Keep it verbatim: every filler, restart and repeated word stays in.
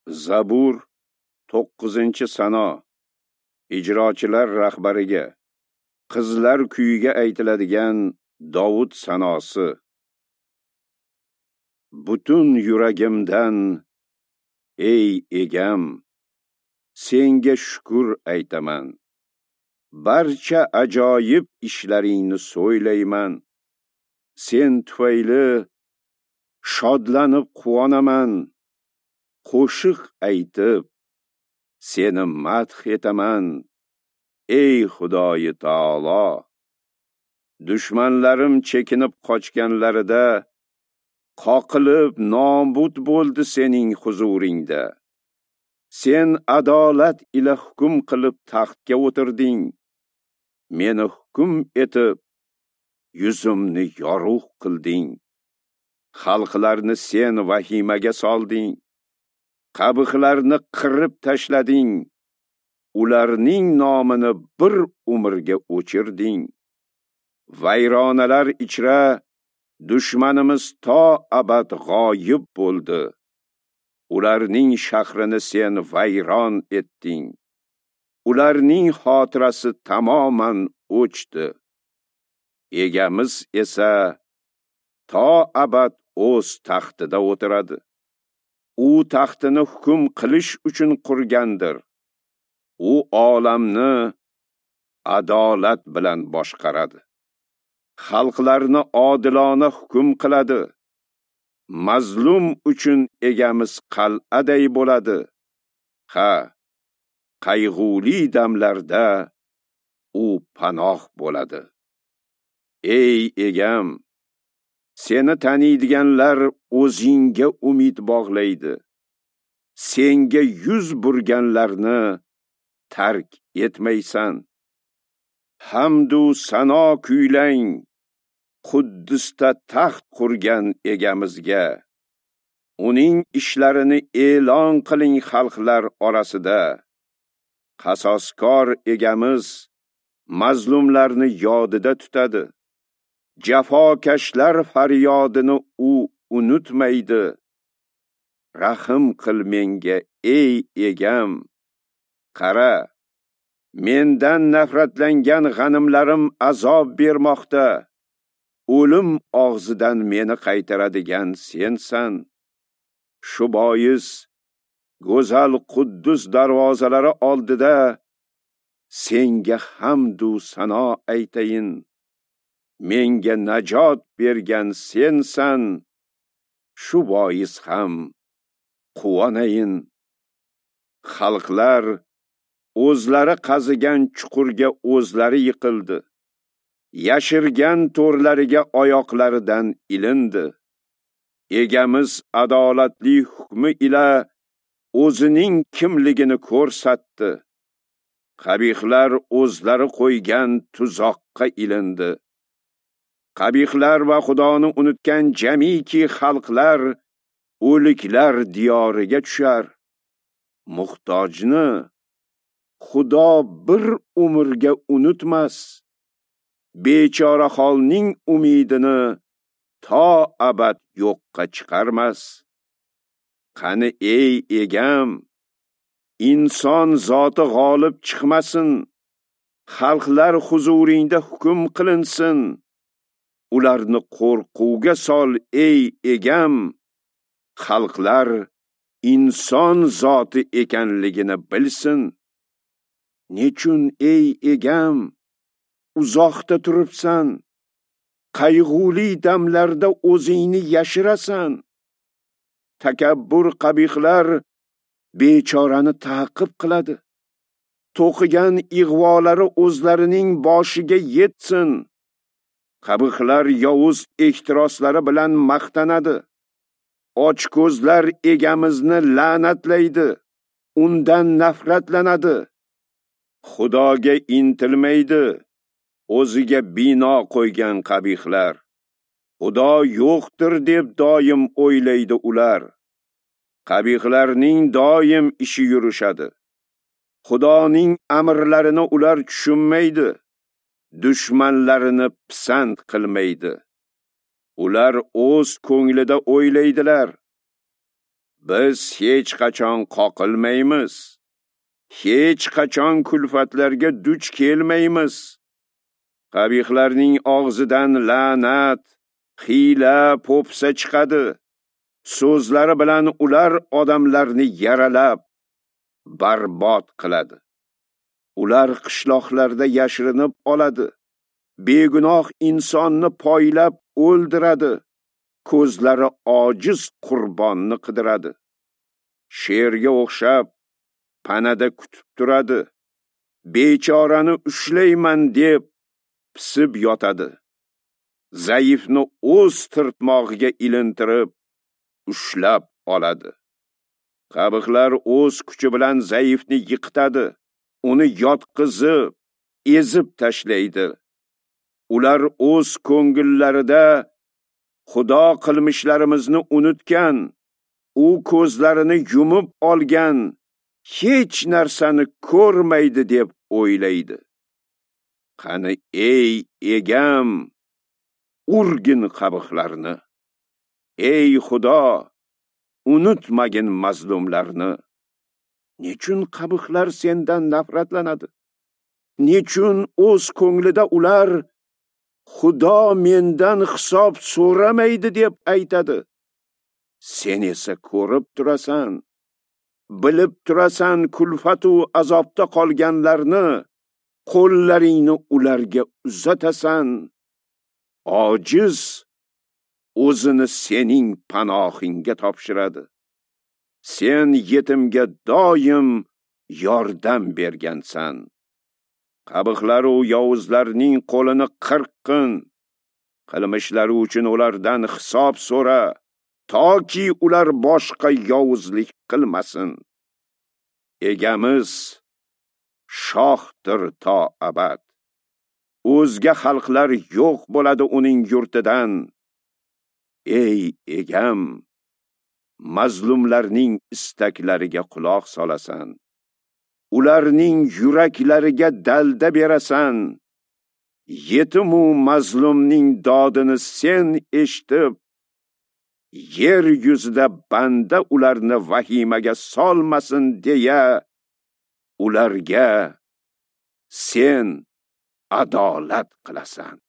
Zabur to'qqizinchi sano. Ijrochilar rahbariga, qizlar kuyiga aytiladigan Dovud sanosi. Butun yuragimdan, ey egam, senga shukr aytaman. Barcha ajoyib ishlaringni so'ylayman. Sen tufayli shodlanib quvonaman. Qo'shiq aytib seni madh etaman, ey Xudoyi taolo. Dushmanlarim chekinib qochganlarida qoqilib nobud bo'ldi sening huzuringda. Sen adolat ila hukm qilib taxtga o'tirding. Meni hukm etib yuzimni yorug' qilding. Xalqlarni sen vahimaga solding. Qabihlarni qirib tashlading. Ularning nomini bir umrga o'chirding. Vayronalar ichra dushmanimiz to abad g'oyib bo'ldi. Ularning shahrini sen vayron etding. Ularning xotirasi tamoman o'chdi. Egamiz esa to abad o'z taxtida o'tiradi. U taxtini hukm qilish uchun qurgandir. U olamni adolat bilan boshqaradi. Xalqlarni odilona hukm qiladi. Mazlum uchun egamiz qal'aday bo'ladi. Ha, qayg'uli damlarda u panoh bo'ladi. Ey egam, seni taniydiganlar o'zingga umid bog'laydi. Senga yuz burganlarni tark etmaysan. Hamdu sano kuylang Quddusda taxt qurgan egamizga. Uning ishlarini e'lon qiling xalqlar orasida. Qasoskor egamiz mazlumlarni yodida tutadi. Jafokashlar faryodini u unutmaydi. Rahim qil menga, ey egam. Qara, mendan nafratlangan g'animlarim azob bermoqda. O'lim og'zidan meni qaytaradigan sensan. Shu bois go'zal Quddus darvozalari oldida senga hamd u sano aytayin. Menga najot bergan sensan, shu bois ham quvonayin. Xalqlar o'zlari qazigan chuqurga o'zlari yiqildi. Yashirgan to'rlariga oyoqlaridan ilindi. Egamiz adolatli hukmi ila o'zining kimligini ko'rsatdi. Qabihlar o'zlari qo'ygan tuzoqqa ilindi. Qabihlar va Xudoni unutgan jamiki xalqlar o'liklar diyoriga tushar. Muhtojni Xudo bir umrga unutmas. Bechora holning umidini to abad yo'qqa chiqarmas. Qani ey egam, inson zoti g'olib chiqmasin. Xalqlar huzuringda hukm qilinsin. Ularni qo'rquvga sol ey egam. Xalqlar inson zoti ekanligini bilsin. Nechun ey egam uzoqda turibsan? Qayg'uli damlarda o'zingni yashirasan. Takabbur qabihlar bechorani ta'qib qiladi. To'qigan ig'volari o'zlarining boshiga yetsin. Qabihlar yovuz ehtiroslari bilan maqtanadi. Ochko'zlar egamizni la'natlaydi, undan nafratlanadi. Xudoga intilmaydi, o'ziga bino qo'ygan qabihlar. Xudo yo'qdir deb doim o'ylaydi ular. Qabihlarning doim ishi yurishadi. Xudoning amrlarini ular tushunmaydi. Dushmanlarini pisand qilmaydi. Ular o'z ko'nglida o'ylaydilar. Biz hech qachon qoqilmaymiz, hech qachon kulfatlarga duch kelmaymiz. Qabihlarning og'zidan la'nat, hiyla, po'pisa chiqadi. So'zlari bilan ular odamlarni yaralab, barbod qiladi. Ular qishloqlarda yashirinib oladi. Begunoh insonni poylab o'ldiradi. Ko'zlari ojiz qurbonni qidiradi. Sherga o'xshab panada kutib turadi. Bechorani ushlayman deb pisib yotadi. Zaifni o'z tirtmog'iga ilintirib ushlab oladi. Qabihlar o'z kuchi bilan zaifni yiqitadi, uni yotqizib, ezib tashlaydi. Ular o'z ko'ngillarida Xudo qilmishlarimizni unutgan, u ko'zlarini yumib olgan, hech narsani ko'rmaydi deb o'ylaydi. Qani ey egam, urgin qabihlarni. Ey Xudo, unutmagin mazlumlarni. Nechun qabihlar sendan nafratlanadi? Nechun o'z ko'nglida ular Xudo mendan hisob so'ramaydi deb aytadi? Sen esa ko'rib turasan, bilib turasan kulfatu azobda qolganlarni, qo'llaringni ularga uzatasan. Ojiz o'zini sening panohingga topshiradi. Sen yetimga doim yordam bergansan. Qabihlar u yovuzlarning qo'lini qirqqin. Qilmishlari uchun ulardan hisob so'ra, toki ular boshqa yovuzlik qilmasin. Egamiz shohdir to abad. O'zga xalqlar yo'q bo'ladi uning yurtidan. Ey egam, mazlumlarning istaklariga quloq solasan. Ularning yuraklariga dalda berasan. Yetimu mazlumning dodini sen eshitib, yer yuzida banda ularni vahimaga solmasin deya ularga sen adolat qilasan.